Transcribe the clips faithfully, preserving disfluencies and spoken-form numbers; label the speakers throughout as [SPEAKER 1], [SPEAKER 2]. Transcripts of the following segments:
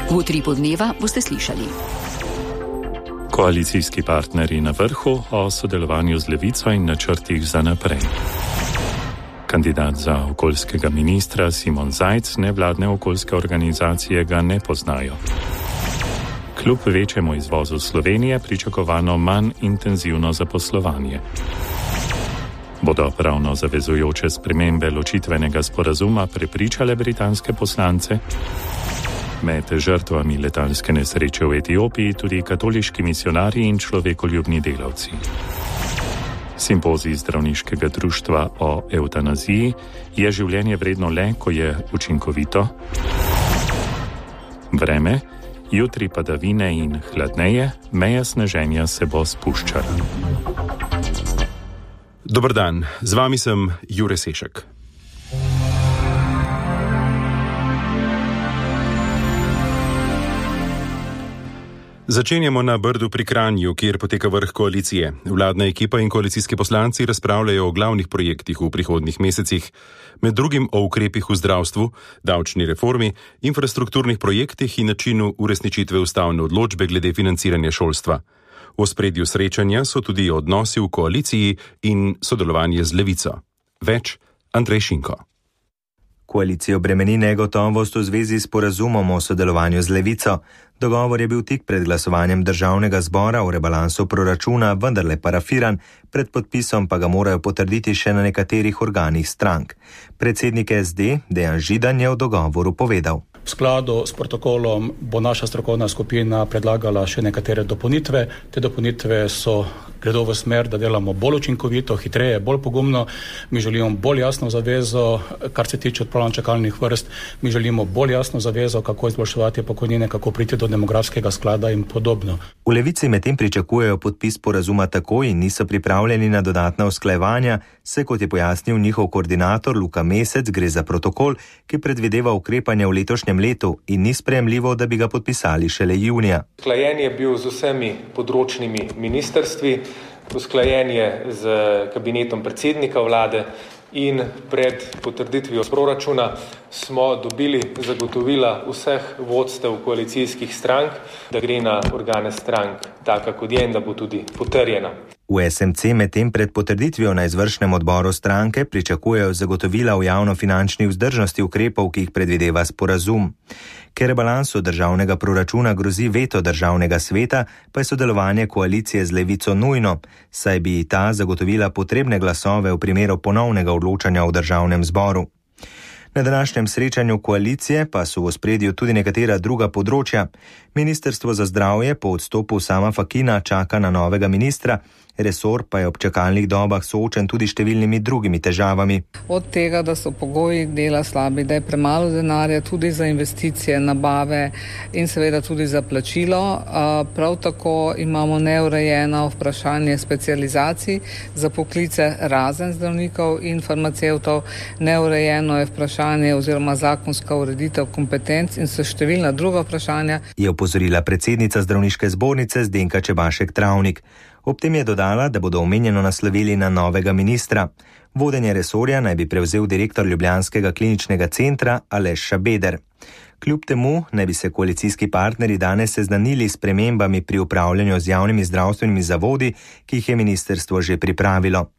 [SPEAKER 1] V utripu dneva boste slišali.
[SPEAKER 2] Koalicijski partnerji na vrhu o sodelovanju z Levico in načrtih za naprej. Kandidat za okoljskega ministra Simon Zajc nevladne okoljske organizacije ga ne poznajo. Kljub večjemu izvozu Slovenije pričakovano manj intenzivno zaposlovanje. Bodo pravno zavezujoče spremembe ločitvenega sporazuma prepričale britanske poslance? Med žrtvami letalske nesreče v Etiopiji tudi katoliški misionarji in človekoljubni delavci. Simpozij zdravniškega društva o evtanaziji je življenje vredno le, ko je učinkovito. Vreme, jutri padavine in hladneje, meja sneženja se bo spuščala.
[SPEAKER 3] Dober dan, z vami sem Jure Sešek. Začenjamo na Brdu pri Kranju, kjer poteka vrh koalicije. Vladna ekipa in koalicijski poslanci razpravljajo o glavnih projektih v prihodnjih mesecih, med drugim o ukrepih v zdravstvu, davčni reformi, infrastrukturnih projektih in načinu uresničitve ustavne odločbe glede financiranja šolstva. V ospredju srečanja so tudi odnosi v koaliciji in sodelovanje z Levico. Več Andrej Šinko.
[SPEAKER 4] Koalicijo bremeni negotovost v zvezi s sporazumom o sodelovanju z Levico. Dogovor je bil tik pred glasovanjem državnega zbora o rebalansu proračuna vendarle parafiran, pred podpisom pa ga morajo potrditi še na nekaterih organih strank. Predsednik S D Dejan Židan je o dogovoru povedal.
[SPEAKER 5] V skladu s protokolom bo naša strokovna skupina predlagala še nekatere dopolnitve. Te dopolnitve so gredo v smer, da delamo bolj učinkovito, hitreje, bolj pogumno. Mi želimo bolj jasno zavezo, kar se tiče odpravljanja čakalnih vrst. Mi želimo bolj jasno zavezo, kako izboljševati pokojnine, kako priti do demografskega sklada in podobno.
[SPEAKER 4] V Levici medtem pričakujejo podpis sporazuma takoj in niso pripravljeni na dodatna usklajevanja, se kot je pojasnil njihov koordinator Luka Mesec, gre za protokol, ki predvideva ukrepanje v letošnjem letu in ni sprejemljivo, da bi ga podpisali šele junija.
[SPEAKER 6] Usklajen je bil z vsemi področnimi ministrstvi, usklajen je z kabinetom predsednika vlade in pred potrditvijo proračuna smo dobili zagotovila vseh vodstev koalicijskih strank, da gre na organe strank taka, kot je in da bo tudi potrjena.
[SPEAKER 4] V S M C medtem pred potrditvijo na izvršnem odboru stranke pričakujejo zagotovila v javnofinančni vzdržnosti ukrepov, ki jih predvideva sporazum. Ker rebalansu državnega proračuna grozi veto državnega sveta, pa je sodelovanje koalicije z Levico nujno, saj bi ta zagotovila potrebne glasove v primeru ponovnega odločanja v državnem zboru. Na današnjem srečanju koalicije pa so v ospredju tudi nekatera druga področja. Ministrstvo za zdravje po odstopu Sama Fakina čaka na novega ministra, resor pa je ob čakalnih dobah soočen tudi številnimi drugimi težavami.
[SPEAKER 7] Od tega, da so pogoji dela slabi, da je premalo denarja tudi za investicije, nabave in seveda tudi za plačilo. Prav tako imamo neurejeno vprašanje specializacij za poklice razen zdravnikov in farmacevtov, neurejeno je vprašanje oziroma zakonska ureditev kompetenc in so številna druga vprašanja.
[SPEAKER 4] Je opozorila predsednica zdravniške zbornice Zdenka Čebašek Travnik. Ob tem je dodala, da bodo omenjeno naslovili na novega ministra. Vodenje resorja naj bi prevzel direktor ljubljanskega kliničnega centra Aleš Šabeder. Kljub temu naj bi se koalicijski partnerji danes seznanili s spremembami pri upravljanju z javnimi zdravstvenimi zavodi, ki jih je ministrstvo že pripravilo.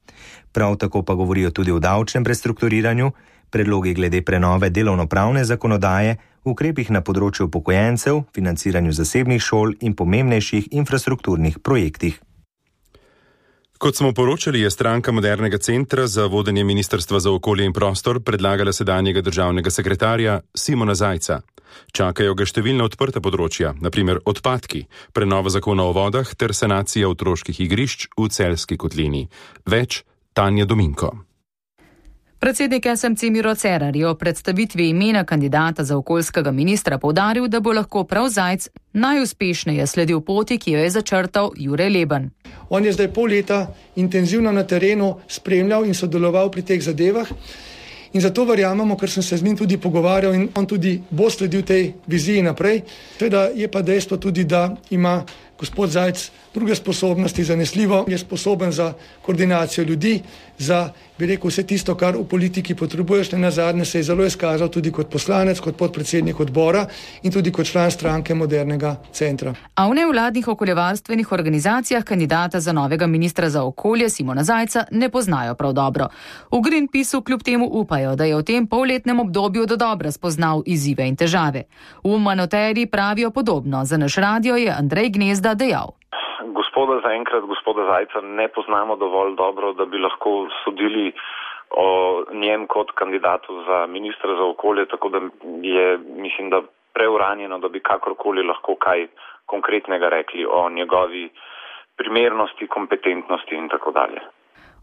[SPEAKER 4] Prav tako pa govorijo tudi o davčnem prestrukturiranju, predlogi glede prenove delovnopravne zakonodaje, ukrepih na področju upokojencev, financiranju zasebnih šol in pomembnejših infrastrukturnih projektih.
[SPEAKER 3] Kot smo poročali, je stranka Modernega centra za vodenje Ministrstva za okolje in prostor predlagala sedanjega državnega sekretarja Simona Zajca. Čakajo ga številna odprta področja, na primer odpadki, prenova zakona o vodah ter sanacija otroških igrišč v Celjski kotlini. Več Tanja Dominko.
[SPEAKER 8] Predsednik S M C Miro Cerar je o predstavitvi imena kandidata za okoljskega ministra poudaril, da bo lahko prav Zajc najuspešneje sledil poti, ki jo je začrtal Jure Leben.
[SPEAKER 9] On je zdaj pol leta intenzivno na terenu spremljal in sodeloval pri teh zadevah in zato verjamemo, ker sem se z njim tudi pogovarjal in on tudi bo sledil tej viziji naprej. Seveda je pa dejstvo tudi, da ima gospod Zajc druge sposobnosti, zanesljivo je sposoben za koordinacijo ljudi, za, bi rekel, vse tisto, kar v politiki potrebuješ. Na zadnje se je zelo izkazal tudi kot poslanec, kot podpredsednik odbora in tudi kot član stranke Modernega centra.
[SPEAKER 8] A v nevladnih okoljevarstvenih organizacijah kandidata za novega ministra za okolje Simona Zajca ne poznajo prav dobro. V Greenpeaceu kljub temu upajo, da je v tem polletnem obdobju dodobra spoznal izzive in težave. V Manoteri pravijo podobno. Za naš radio je Andrej Gnezda dejal.
[SPEAKER 10] Gospoda zaenkrat, gospoda Zajca ne poznamo dovolj dobro, da bi lahko sodili o njem kot kandidatu za ministra za okolje, tako da je, mislim, da preuranjeno, da bi kakorkoli lahko kaj konkretnega rekli o njegovi primernosti, kompetentnosti in tako dalje.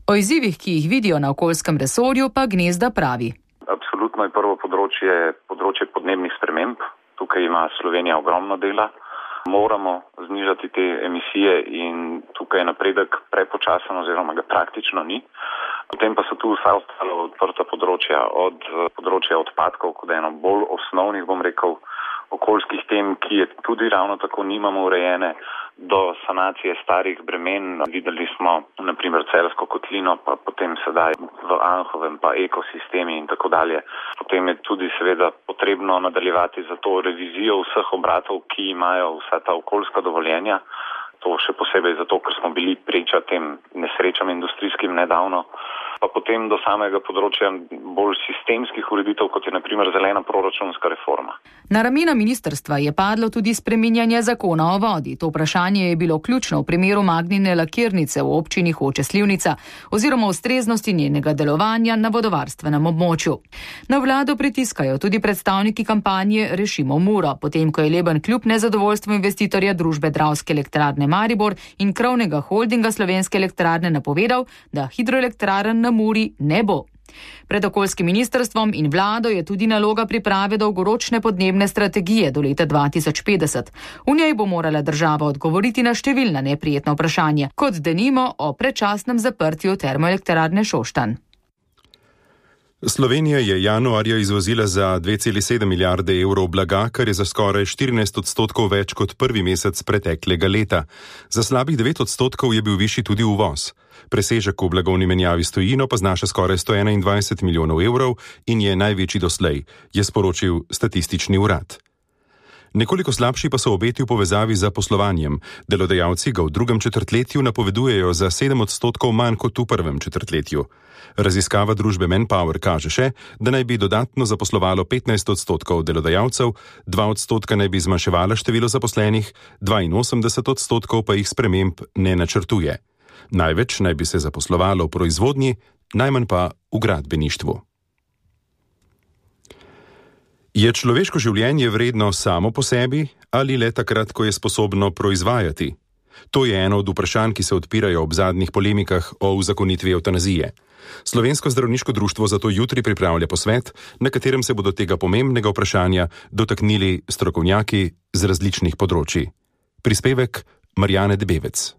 [SPEAKER 8] O izzivih, ki jih vidijo na okoljskem resorju, pa Gnezda pravi.
[SPEAKER 10] Absolutno je prvo področje, področje podnebnih sprememb. Tukaj ima Slovenija ogromno dela. Moramo znižati te emisije in tukaj je napredek prepočasen oziroma ga praktično ni. Potem pa so tu vsa ostala odprta področja, od področja odpadkov, kot eno bolj osnovnih, bom rekel, okoljskih tem, ki je tudi ravno tako nimamo urejene, do sanacije starih bremen. Videli smo na primer Celjsko kotlino, pa potem sedaj v Anhovem, pa ekosistemi in tako dalje. Potem je tudi seveda potrebno nadaljevati za to revizijo vseh obratov, ki imajo vsa ta okoljska dovoljenja. To še posebej zato, ker smo bili priča tem nesrečam industrijskim nedavno. Pa potem do samega področja bolj sistemskih ureditev, kot je na primer zelena proračunska reforma.
[SPEAKER 8] Na ramena ministrstva je padlo tudi spreminjanje zakona o vodi. To vprašanje je bilo ključno v primeru Magnine lakirnice v občini Hoče Slivnica oziroma ustreznosti njenega delovanja na vodovarstvenem območju. Na vlado pritiskajo tudi predstavniki kampanje Rešimo Muro, potem ko je Leben kljub nezadovoljstvu investitorja družbe Dravske elektrarne Maribor in krovnega holdinga Slovenske elektrarne napovedal, da hidroelektrarn na Muri ne bo. Pred okoljskim ministrstvom in vlado je tudi naloga priprave dolgoročne podnebne strategije do leta dva tisoč petdeset. V njej bo morala država odgovoriti na številna neprijetna vprašanja, kot denimo o predčasnem zaprtju termoelektrarne Šoštanj.
[SPEAKER 3] Slovenija je januarja izvozila za dve celi sedem milijarde evrov blaga, kar je za skoraj štirinajst odstotkov več kot prvi mesec preteklega leta. Za slabih devet odstotkov je bil višji tudi uvoz. Presežek v blagovni menjavi s tujino pa znaša skoraj sto enaindvajset milijonov evrov in je največji doslej, je sporočil statistični urad. Nekoliko slabši pa so obeti v povezavi z zaposlovanjem. Delodajalci ga v drugem četrtletju napovedujejo za sedem odstotkov manj kot v prvem četrtletju. Raziskava družbe Manpower kaže še, da naj bi dodatno zaposlovalo petnajst odstotkov delodajalcev, dva odstotka naj bi zmanjševala število zaposlenih, dvainosemdeset odstotkov pa jih sprememb ne načrtuje. Največ naj bi se zaposlovalo v proizvodnji, najmanj pa v gradbeništvu. Je človeško življenje vredno samo po sebi ali le takrat, ko je sposobno proizvajati? To je eno od vprašanj, ki se odpirajo ob zadnjih polemikah o uzakonitvi evtanazije. Slovensko zdravniško društvo zato jutri pripravlja posvet, na katerem se bodo tega pomembnega vprašanja dotaknili strokovnjaki z različnih področji. Prispevek Marjane Debevec.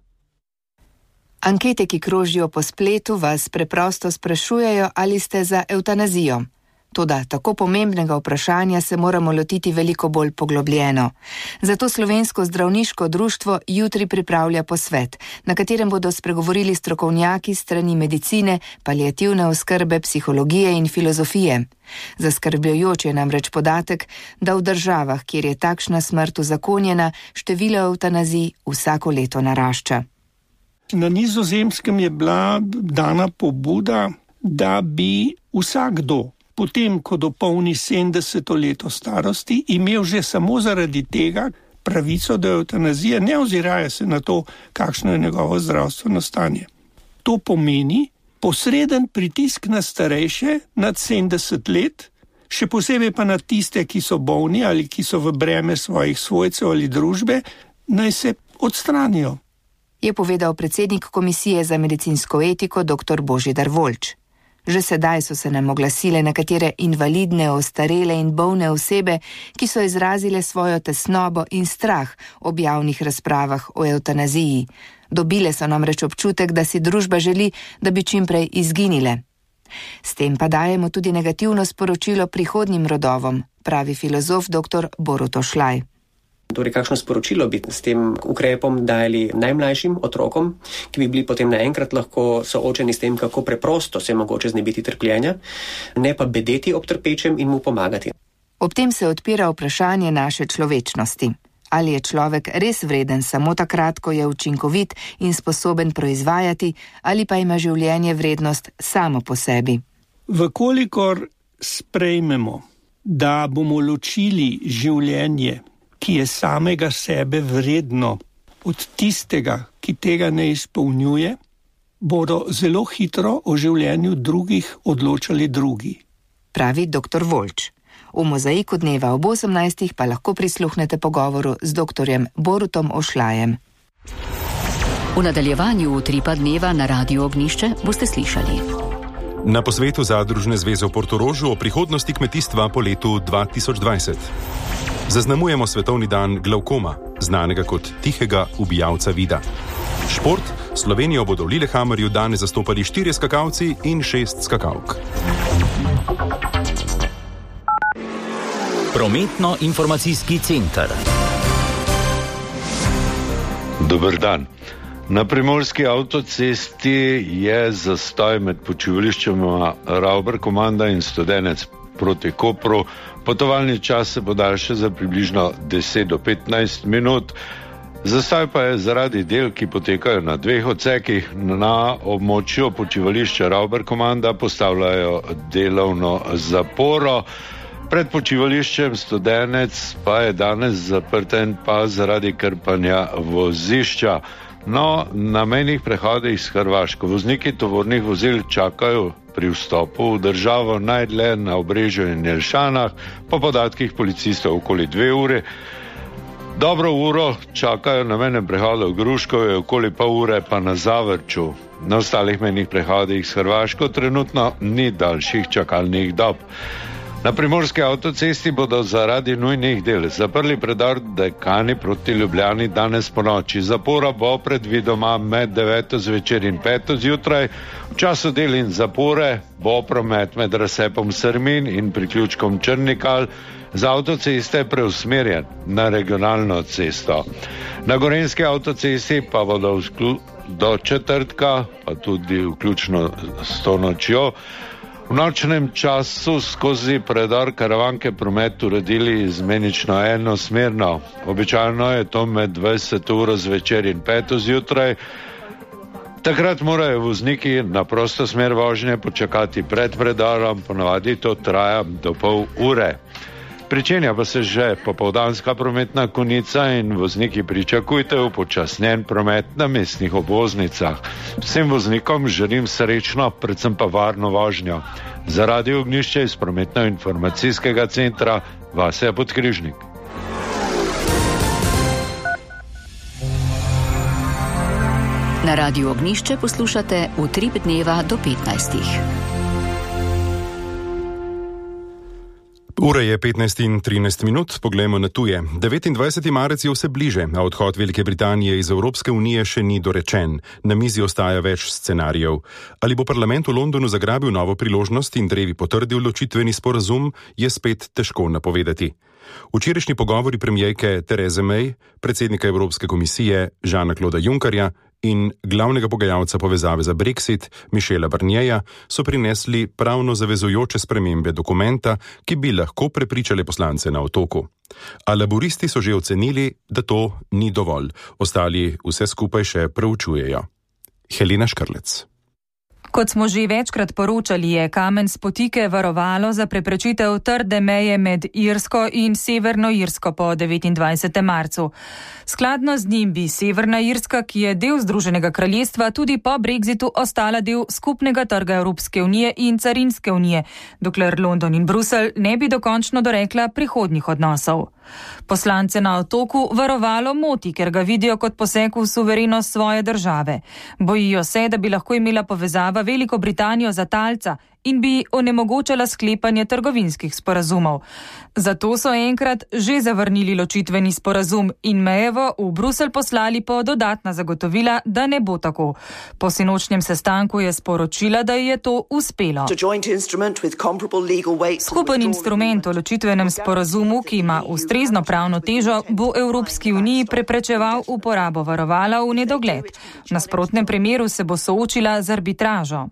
[SPEAKER 11] Ankete, ki krožijo po spletu, vas preprosto sprašujejo, ali ste za evtanazijo. Toda tako pomembnega vprašanja se moramo lotiti veliko bolj poglobljeno. Zato Slovensko zdravniško društvo jutri pripravlja posvet, na katerem bodo spregovorili strokovnjaki strani medicine, paliativne oskrbe, psihologije in filozofije. Zaskrbljujoč je namreč podatek, da v državah, kjer je takšna smrt uzakonjena, število evtanazij vsako leto narašča.
[SPEAKER 12] Na Nizozemskem je bila dana pobuda, da bi vsakdo potem, ko dopolni sedemdeseto leto starosti, imel že samo zaradi tega pravico do evtanazije, ne oziraje se na to, kakšno je njegovo zdravstveno stanje. To pomeni posreden pritisk na starejše nad sedemdeset let, še posebej pa na tiste, ki so bolni ali ki so v breme svojih svojcev ali družbe, naj se odstranijo.
[SPEAKER 11] Je povedal predsednik Komisije za medicinsko etiko dr. Božidar Volč. Že sedaj so se nam oglasile nekatere invalidne, ostarele in bolne osebe, ki so izrazile svojo tesnobo in strah ob javnih razpravah o evtanaziji. Dobile so namreč občutek, da si družba želi, da bi čimprej izginile. S tem pa dajemo tudi negativno sporočilo prihodnjim rodovom, pravi filozof dr. Borut Ošlaj.
[SPEAKER 13] Torej, kakšno sporočilo bi s tem ukrepom dali najmlajšim otrokom, ki bi bili potem naenkrat lahko soočeni s tem, kako preprosto se je mogoče znebiti trpljenja, ne pa bedeti ob trpečem in mu pomagati.
[SPEAKER 11] Ob tem se odpira vprašanje naše človečnosti. Ali je človek res vreden samo takrat, ko je učinkovit in sposoben proizvajati, ali pa ima življenje vrednost samo po sebi?
[SPEAKER 12] Vkolikor sprejmemo, da bomo ločili življenje, ki je samega sebe vredno, od tistega, ki tega ne izpolnjuje, bodo zelo hitro o življenju drugih odločali drugi.
[SPEAKER 11] Pravi doktor Volč. V mozaiku dneva ob osemnajstih pa lahko prisluhnete pogovoru z doktorjem Borutom Ošlajem.
[SPEAKER 1] V nadaljevanju utripa dneva na Radiu Ognjišče boste slišali.
[SPEAKER 3] Na posvetu Zadružne zveze v Portorožu o prihodnosti kmetijstva po letu dva tisoč dvajset. Zaznamujemo svetovni dan glavkoma, znanega kot tihega ubijalca vida. Šport, Slovenijo bodo v Lillehammerju danes zastopali štirje skakalci in šest skakalk.
[SPEAKER 14] Prometno-informacijski center.
[SPEAKER 15] Dober dan. Na primorski avtocesti je zastoj med počivališčema Rauber komanda in Studenec proti Kopru. Potovalni čas se podaljša za približno deset do petnajst minut. Zastoj pa je zaradi del, ki potekajo na dveh odsekih. Na območju počivališča Rauber komanda postavljajo delovno zaporo. Pred počivališčem Studenec pa je danes zaprten pa zaradi krpanja vozišča. No, na mejnih prehodih s Hrvaško vozniki tovornih vozil čakajo pri vstopu v državo najdlje na Obrežju in Jelšanah, po podatkih policistov okoli dve ure. Dobro uro čakajo na mejnem prehodu v Gruškovju, okoli pol ure pa na Zavrču. Na ostalih mejnih prehodih s Hrvaško trenutno ni daljših čakalnih dob. Na primorski avtocesti bodo zaradi nujnih del zaprli predor Dekani proti Ljubljani danes po noči. Zapora bo predvidoma med deveto zvečer in peto zjutraj. V času del in zapore bo promet med razcepom Srmin in priključkom Črnikal z avtoceste preusmerjen na regionalno cesto. Na gorenjski avtocesti pa bodo do četrtka, pa tudi vključno s to nočjo, v nočnem času skozi predor Karavanke promet uredili izmenično enosmerno. Običajno je to med dvajseto uro zvečer in peto zjutraj. Takrat morajo vozniki na prosto smer vožnje počakati pred predorom, ponavadi to traja do pol ure. Pričenja pa se že popoldanska prometna konica in vozniki pričakujte upočasnjen promet na mestnih obvoznicah. Vsem voznikom želim srečno, predvsem pa varno vožnjo. Za Radio Ognjišče iz Prometno-informacijskega centra Vasja Podkrižnik.
[SPEAKER 1] Na Radiu Ognjišče poslušate Utrip dneva do petnajstih.
[SPEAKER 3] Ura je petnajst in trinajst minut, poglejmo na tuje. devetindvajseti marec je vse bliže, a odhod Velike Britanije iz Evropske unije še ni dorečen. Na mizi ostaja več scenarijev. Ali bo parlament v Londonu zagrabil novo priložnost in drevi potrdil ločitveni sporazum, je spet težko napovedati. Včerajšnji pogovori premierke Therese May, predsednika Evropske komisije Jeana-Clauda Junckerja in glavnega pogajalca povezave za Brexit Michela Barnierja so prinesli pravno zavezujoče spremembe dokumenta, ki bi lahko prepričali poslance na otoku. A laburisti so že ocenili, da to ni dovolj. Ostali vse skupaj še preučujejo. Helena Škrlec.
[SPEAKER 8] Kot smo že večkrat poročali, je kamen spotike varovalo za preprečitev trde meje med Irsko in Severno Irsko po devetindvajsetem marcu. Skladno z njim bi Severna Irska, ki je del Združenega kraljestva, tudi po Brexitu ostala del skupnega trga Evropske unije in carinske unije, dokler London in Bruselj ne bi dokončno dorekla prihodnjih odnosov. Poslance na otoku varovalo moti, ker ga vidijo kot poseg v suverenost svoje države. Bojijo se, da bi lahko imela povezava Veliko Britanijo za talca in bi onemogočala sklepanje trgovinskih sporazumov. Zato so enkrat že zavrnili ločitveni sporazum in Mayevo v Bruselj poslali po dodatna zagotovila, da ne bo tako. Po sinočnjem sestanku je sporočila, da je to uspelo. Skupen instrument o ločitvenem sporazumu, ki ima ustrezno pravno težo, bo Evropski uniji preprečeval uporabo varovala v nedogled. V nasprotnem primeru se bo soočila z arbitražo.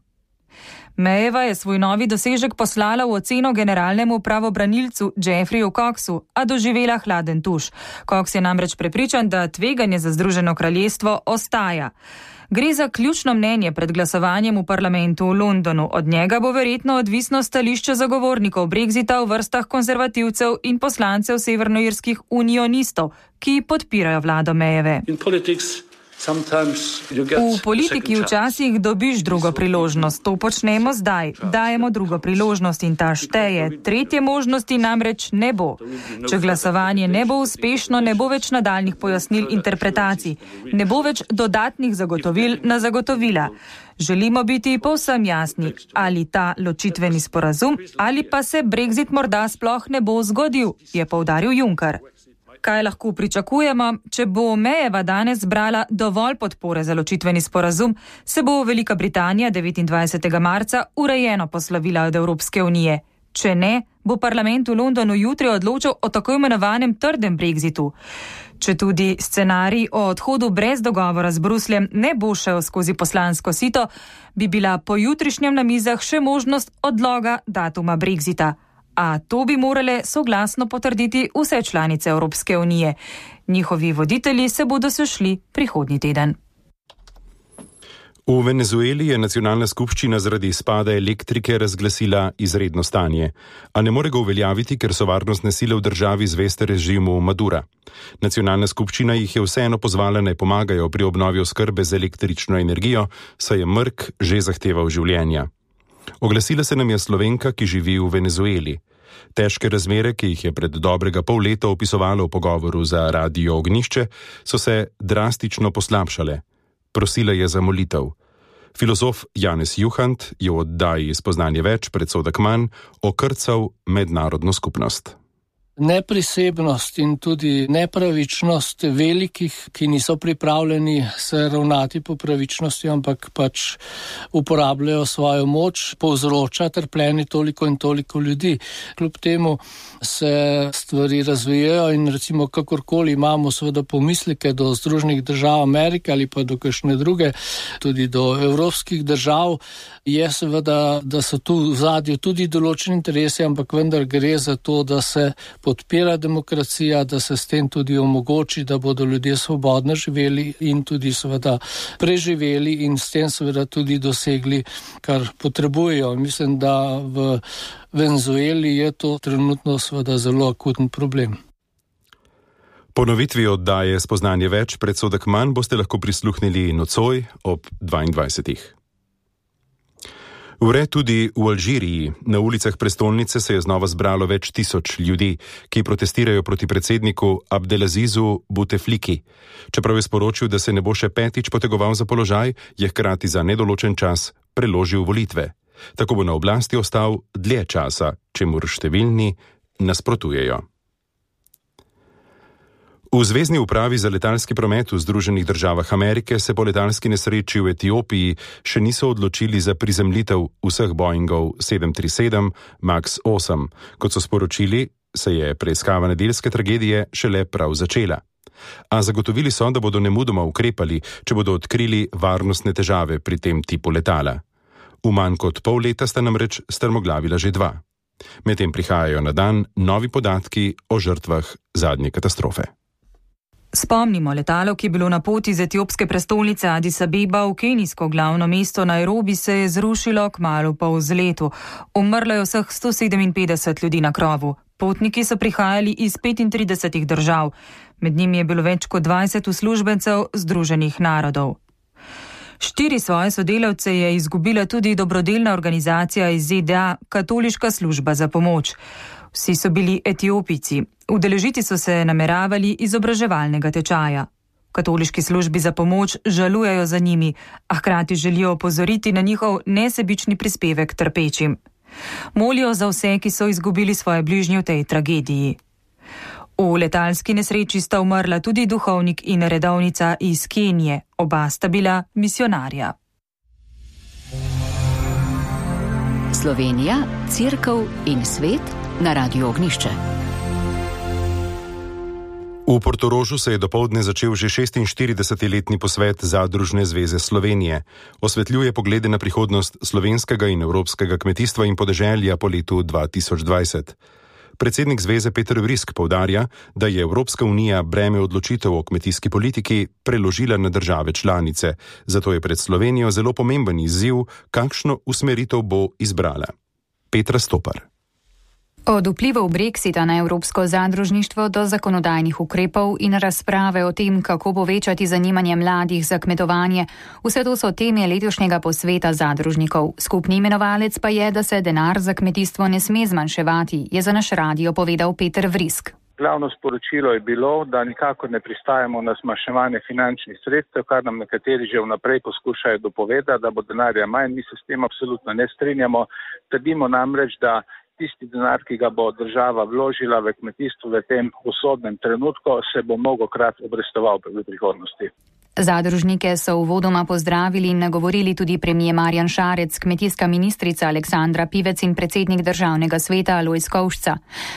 [SPEAKER 8] Mayeva je svoj novi dosežek poslala v oceno generalnemu pravobranilcu Jeffreyju Coxu, a doživela hladen tuš. Cox je namreč prepričan, da tveganje za Združeno kraljestvo ostaja. Gre za ključno mnenje pred glasovanjem v parlamentu v Londonu. Od njega bo verjetno odvisno stališče zagovornikov Brexita v vrstah konzervativcev in poslancev severnoirskih unionistov, ki podpirajo vlado Mayeve. V politiki včasih dobiš drugo priložnost. To počnemo zdaj. Dajemo drugo priložnost in ta šteje. Tretje možnosti namreč ne bo. Če glasovanje ne bo uspešno, ne bo več nadaljnih pojasnil interpretacij. Ne bo več dodatnih zagotovil na zagotovila. Želimo biti povsem jasni, ali ta ločitveni sporazum, ali pa se Brexit morda sploh ne bo zgodil, je poudaril Juncker. Kaj lahko pričakujemo? Če bo Mayeva danes zbrala dovolj podpore za ločitveni sporazum, se bo Velika Britanija devetindvajsetega marca urejeno poslovila od Evropske unije. Če ne, bo parlament v Londonu jutri odločil o tako imenovanem trdem Brexitu. Če tudi scenarij o odhodu brez dogovora z Brusljem ne bo šel skozi poslansko sito, bi bila po jutrišnjem na mizah še možnost odloga datuma Brexita. A to bi morale soglasno potrditi vse članice Evropske unije. Njihovi voditelji se bodo sešli prihodnji teden.
[SPEAKER 3] V Venezueli je nacionalna skupščina zaradi izpada elektrike razglasila izredno stanje, a ne more ga uveljaviti, ker so varnostne sile v državi zveste režimu Madura. Nacionalna skupščina jih je vseeno pozvala, naj pomagajo pri obnovi oskrbe z električno energijo, saj je mrk že zahteval življenja. Oglasila se nam je Slovenka, ki živi v Venezueli. Težke razmere, ki jih je pred dobrega pol leta opisovalo v pogovoru za Radio Ognišče, so se drastično poslabšale. Prosila je za molitev. Filozof Janez Juhant je v oddaji Spoznanje več predsodek manj okrcal mednarodno skupnost.
[SPEAKER 12] Neprisebnost in tudi nepravičnost velikih, ki niso pripravljeni se ravnati po pravičnosti, ampak pač uporabljajo svojo moč, povzroča trpljenje toliko in toliko ljudi. Kljub temu se stvari razvijajo in recimo kakorkoli imamo seveda pomisleke do Združenih držav Amerike ali pa do kakšne druge, tudi do evropskih držav, je seveda, da so tu v zadju tudi določeni interesi, ampak vendar gre za to, da se podpira demokracija, da se s tem tudi omogoči, da bodo ljudje svobodno živeli in tudi seveda preživeli in s tem seveda tudi dosegli, kar potrebujejo. Mislim, da v Venezueli je to trenutno seveda zelo akuten problem.
[SPEAKER 3] Ponovitvi oddaje Spoznanje več predsodek manj boste lahko prisluhnili nocoj ob dvaindvajsetih. Vre tudi v Alžiriji. Na ulicah prestolnice se je znova zbralo več tisoč ljudi, ki protestirajo proti predsedniku Abdelazizu Boutefliki. Čeprav je sporočil, da se ne bo še petič potegoval za položaj, je hkrati za nedoločen čas preložil volitve. Tako bo na oblasti ostal dlje časa, čemur številni nasprotujejo. V Zvezni upravi za letalski promet v Združenih državah Amerike se po letalski nesreči v Etiopiji še niso odločili za prizemljitev vseh Boeingov sedem tri sedem Max osem. Kot so sporočili, se je preiskava nedeljske tragedije šele prav začela. A zagotovili so, da bodo nemudoma ukrepali, če bodo odkrili varnostne težave pri tem tipu letala. V manj kot pol leta sta namreč strmoglavila že dva. Medtem prihajajo na dan novi podatki o žrtvah zadnje katastrofe.
[SPEAKER 8] Spomnimo, letalo, ki je bilo na poti z etiopske prestolnice Addis Abeba v kenijsko glavno mesto Nairobi, se je zrušilo kmalu po vzletu. Umrlo je vseh sto sedeminpetdeset ljudi na krovu. Potniki so prihajali iz petintridesetih držav. Med njimi je bilo več kot dvajset uslužbencev Združenih narodov. Štiri svoje sodelavce je izgubila tudi dobrodelna organizacija iz Z D A, Katoliška služba za pomoč. Vsi so bili Etiopijci. Udeležiti so se nameravali izobraževalnega tečaja. katoliški službi za pomoč žalujejo za njimi, a hkrati želijo opozoriti na njihov nesebični prispevek trpečim. Molijo za vse, ki so izgubili svoje bližnje v tej tragediji. V letalski nesreči sta umrla tudi duhovnik in redovnica iz Kenije, oba sta bila misionarja.
[SPEAKER 1] Slovenija, Cerkev in svet na Radiu Ognišče.
[SPEAKER 3] V Portorožu se je dopoldne začel že šestinštiridesetletni posvet Zadružne zveze Slovenije. Osvetljuje poglede na prihodnost slovenskega in evropskega kmetijstva in podeželja po letu dva tisoč dvajset. Predsednik zveze Peter Vrisk poudarja, da je Evropska unija breme odločitev o kmetijski politiki preložila na države članice, zato je pred Slovenijo zelo pomemben izziv, kakšno usmeritev bo izbrala. Petra Stopar.
[SPEAKER 16] Od vplivov Brexita na evropsko zadružništvo do zakonodajnih ukrepov in razprave o tem, kako povečati zanimanje mladih za kmetovanje, vse to so teme letošnjega posveta zadružnikov. Skupni imenovalec pa je, da se denar za kmetijstvo ne sme zmanjševati, je za naš radio povedal Peter Vrisk.
[SPEAKER 17] Glavno sporočilo je bilo, da nikakor ne pristajamo na zmanjševanje finančnih sredstev, kar nam nekateri že vnaprej poskušajo dopovedati, da bo denarja manj. Mi se s tem absolutno ne strinjamo. Trdimo namreč, da tisti denar, ki ga bo država vložila v kmetijstvo v tem usodnem trenutku, se bo mnogokrat obrestoval v prihodnosti.
[SPEAKER 16] Zadružnike so uvodoma pozdravili in nagovorili tudi premier Marjan Šarec, kmetijska ministrica Aleksandra Pivec in predsednik državnega sveta Alojz Kovšca.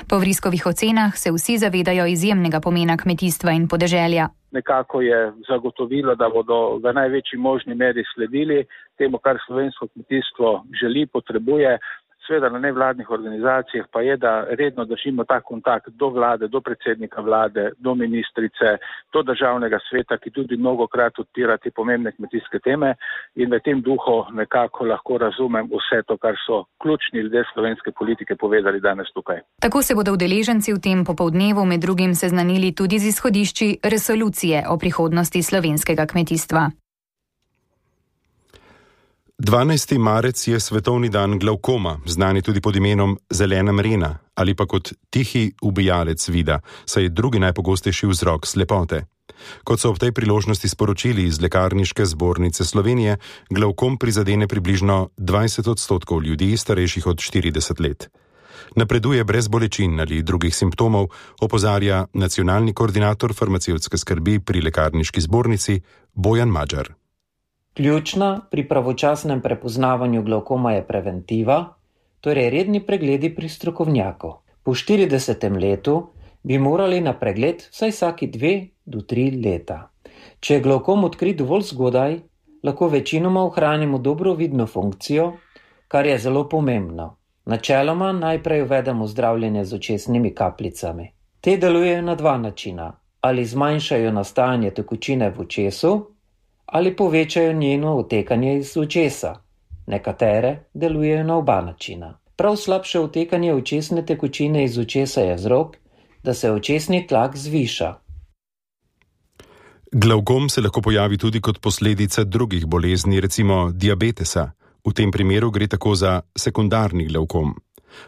[SPEAKER 16] Po Vriskovih ocenah se vsi zavedajo izjemnega pomena kmetijstva in podeželja.
[SPEAKER 17] Nekako je zagotovilo, da bodo v največji možni meri sledili temu, kar slovensko kmetijstvo želi, potrebuje. Sveda na nevladnih organizacijah pa je, da redno držimo ta kontakt do vlade, do predsednika vlade, do ministrice, do državnega sveta, ki tudi mnogokrat odpira te pomembne kmetijske teme in v tem duhu nekako lahko razumem vse to, kar so ključni ljudje slovenske politike povedali danes tukaj.
[SPEAKER 16] Tako se bodo udeleženci v tem popoldnevu med drugim seznanili tudi z izhodišči resolucije o prihodnosti slovenskega kmetijstva.
[SPEAKER 3] dvanajsti marec je svetovni dan glavkoma, znani tudi pod imenom zelena mrena ali pa kot tihi ubijalec vida, saj je drugi najpogostejši vzrok slepote. Kot so ob tej priložnosti sporočili iz Lekarniške zbornice Slovenije, glavkom prizadene približno dvajset odstotkov ljudi starejših od štirideset let. Napreduje brez bolečin ali drugih simptomov, opozarja nacionalni koordinator farmacevtske skrbi pri Lekarniški zbornici Bojan Madžar.
[SPEAKER 18] Ključna pri pravočasnem prepoznavanju glavkoma je preventiva, torej redni pregledi pri strokovnjaku. Po štiridesetem letu bi morali na pregled vsaj vsaki dve do tri leta. Če je glavkom odkrit dovolj zgodaj, lahko večinoma ohranimo dobro vidno funkcijo, kar je zelo pomembno. Načeloma najprej uvedemo zdravljenje z očesnimi kapljicami. Te delujejo na dva načina, ali zmanjšajo nastajanje tekočine v očesu, ali povečajo njeno otekanje iz očesa. Nekatere delujejo na oba načina. Prav slabše otekanje očesne tekočine iz očesa je vzrok, da se očesni tlak zviša.
[SPEAKER 3] Glavkom se lahko pojavi tudi kot posledica drugih bolezni, recimo diabetesa. V tem primeru gre tako za sekundarni glavkom.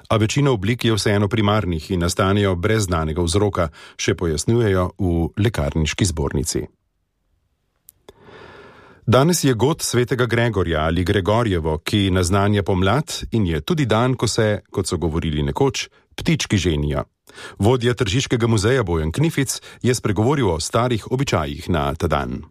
[SPEAKER 3] A večina oblik je vseeno primarnih in nastanejo brez znanega vzroka, še pojasnjujejo v Lekarniški zbornici. Danes je god svetega Gregorja ali Gregorjevo, ki naznanja pomlad in je tudi dan, ko se, kot so govorili nekoč, ptički ženijo. Vodja Tržiškega muzeja Bojan Knific je spregovoril o starih običajih na ta dan.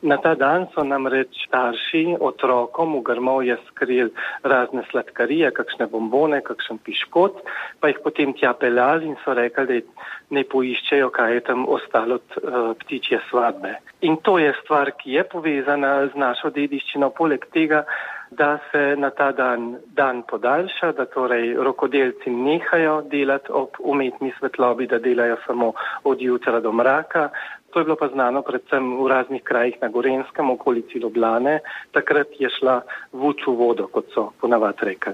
[SPEAKER 19] Na ta dan so namreč starši otrokom v grmovje skrili razne sladkarije, kakšne bombone, kakšen piškot, pa jih potem tja peljali in so rekli, da ne poiščejo, kaj je tam ostalo od uh, ptičje svadbe. In to je stvar, ki je povezana z našo dediščino, poleg tega, da se na ta dan, dan podaljša, da torej rokodelci nehajo delati ob umetni svetlobi, da delajo samo od jutra do mraka. To je bilo pa znano predvsem v raznih krajih na Gorenjskem, okolici Ljubljane. Takrat je šla vuč v vodo, kot so ponavadi rekli.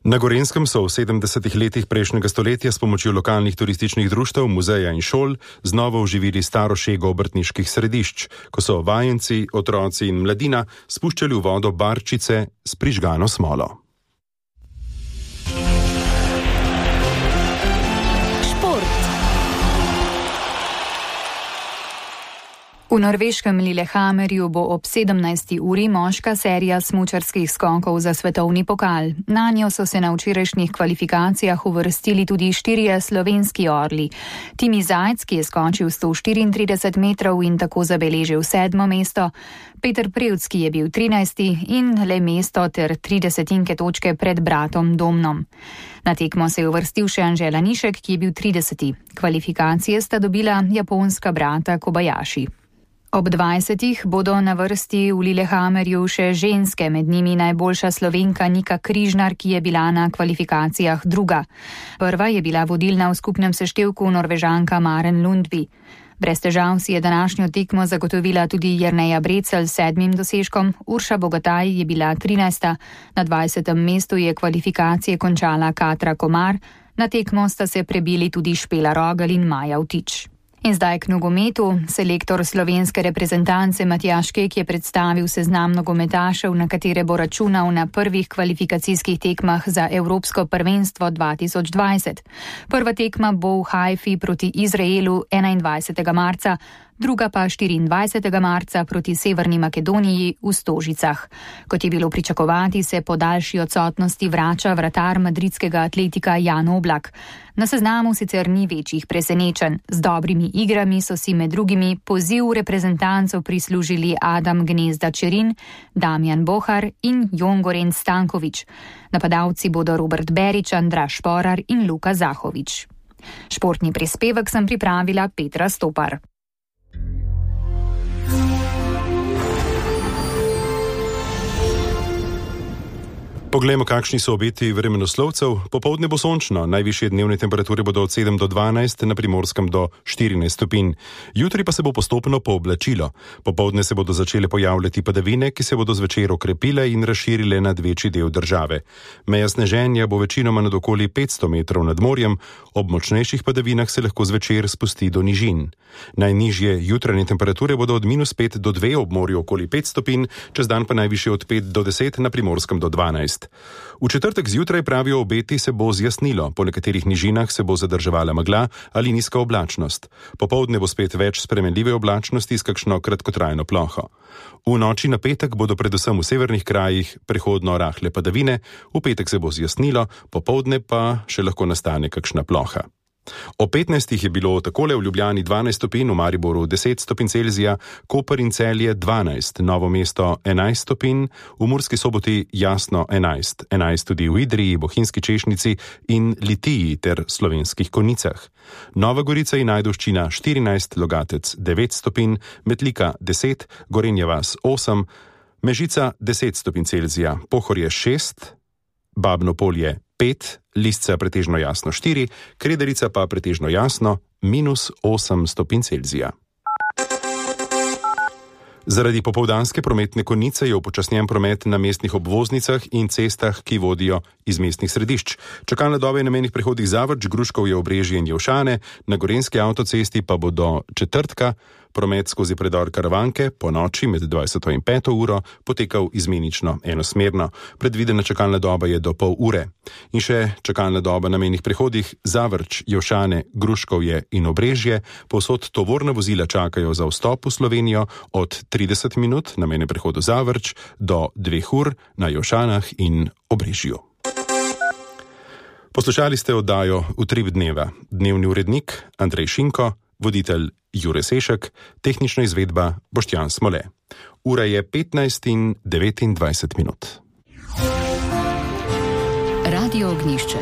[SPEAKER 3] Na Gorenjskem so v sedemdesetih letih prejšnjega stoletja s pomočjo lokalnih turističnih društev, muzeja in šol znova oživili staro šego obrtniških središč, ko so vajenci, otroci in mladina spuščali v vodo barčice s prižgano smolo.
[SPEAKER 16] V norveškem Lillehammerju bo ob sedemnajsti uri moška serija smučarskih skokov za svetovni pokal. Nanjo so se na včerajšnjih kvalifikacijah uvrstili tudi štirje slovenski orli. Timi Zajc, ki je skočil sto štiriintrideset metrov in tako zabeležil sedmo mesto, Peter Prevc, ki je bil trinajsti in le mesto ter tri desetinke točke pred bratom Domnom. Na tekmo se je uvrstil še Anže Lanišek, ki je bil trideseti. Kvalifikacije sta dobila japonska brata Kobayashi. Ob dvajsetih bodo na vrsti v Lillehammerju še ženske, med njimi najboljša Slovenka Nika Križnar, ki je bila na kvalifikacijah druga. Prva je bila vodilna v skupnem seštevku Norvežanka Maren Lundby. Brez težav si je današnjo tekmo zagotovila tudi Jerneja Brecelj s sedmim dosežkom, Urša Bogataj je bila trinajsta, na dvajsetem mestu je kvalifikacije končala Katra Komar, na tekmo sta se prebili tudi Špela Rogelj in Maja Vtič. In zdaj k nogometu. Selektor slovenske reprezentance Matjaž Kek je predstavil seznam nogometašev, na katere bo računal na prvih kvalifikacijskih tekmah za Evropsko prvenstvo dva tisoč dvajset. Prva tekma bo v Haifi proti Izraelu enaindvajsetega marca, druga pa štiriindvajsetega marca proti Severni Makedoniji v Stožicah. Kot je bilo pričakovati, se po daljši odsotnosti vrača vratar madridskega Atletika Jan Oblak. Na seznamu sicer ni večjih presenečenj. Z dobrimi igrami so si med drugimi poziv reprezentancov prislužili Adam Gnezda Čerin, Damjan Bohar in Jon Gorenc Stanković. Napadalci bodo Robert Berić, Andraž Šporar in Luka Zahović. Športni prispevek sem pripravila Petra Stopar.
[SPEAKER 3] Poglejmo, kakšni so obeti vremenoslovcev. Popoldne bo sončno, najvišje dnevne temperature bodo od sedem do dvanajst, na Primorskem do štirinajst stopinj. Jutri pa se bo postopno pooblačilo. Popoldne se bodo začele pojavljati padavine, ki se bodo zvečer okrepile in razširile nad večji del države. Meja sneženja bo večinoma nad okoli petsto metrov nad morjem, ob močnejših padavinah se lahko zvečer spusti do nižin. Najnižje jutranje temperature bodo od minus pet do dve, ob morju okoli pet stopinj, čez dan pa najvišje od pet do deset, na Primorskem do dvanajst. V četrtek zjutraj, pravijo obeti, se bo zjasnilo, po nekaterih nižinah se bo zadrževala megla ali nizka oblačnost. Popoldne bo spet več spremenljive oblačnosti s kakšno kratkotrajno ploho. V noči na petek bodo predvsem v severnih krajih prehodno rahle padavine, v petek se bo zjasnilo, popoldne pa še lahko nastane kakšna ploha. O petnajstih je bilo takole v Ljubljani dvanajst stopinj, v Mariboru deset stopinj Celzija, Koper in Celje dvanajst, Novo mesto enajst stopinj, v Murski Soboti jasno enajst, enajst tudi v Idriji, Bohinjski Češnici in Litiji ter Slovenskih Konjicah. Nova Gorica in Ajdovščina štirinajst, Logatec devet stopinj, Metlika deset, Gorenja vas osem, Mežica deset stopinj Celzija, Pohorje šest, Babno Polje pet, Lisca pretežno jasno štiri, Krederica pa pretežno jasno minus osem stopinj Celzija. Zaradi popoldanske prometne konice je upočasnjen promet na mestnih obvoznicah in cestah, ki vodijo iz mestnih središč. Čakalna doba je na mejnih prehodih Zavrč, Gruškovje, Obrežje in Jelšane, na Gorenjski avtocesti pa bo do četrtka promet skozi predor Karavanke po noči med dvajseto in peto uro potekal izmenično enosmerno. Predvidena čakalna doba je do pol ure. In še čakalna doba na mejnih prehodih Zavrč, Jelšane, Gruškovje in Obrežje. Povsod tovorna vozila čakajo za vstop v Slovenijo od trideset minut na mejnem prehodu Zavrč do dveh ur na Jelšanah in Obrežju. Poslušali ste oddajo Utrip dneva. Dnevni urednik Andrej Šinko, voditelj Jure Sešek, tehnična izvedba Boštjan Smole. Ura je petnajst in devetindvajset minut.
[SPEAKER 1] Radio Ognjišče.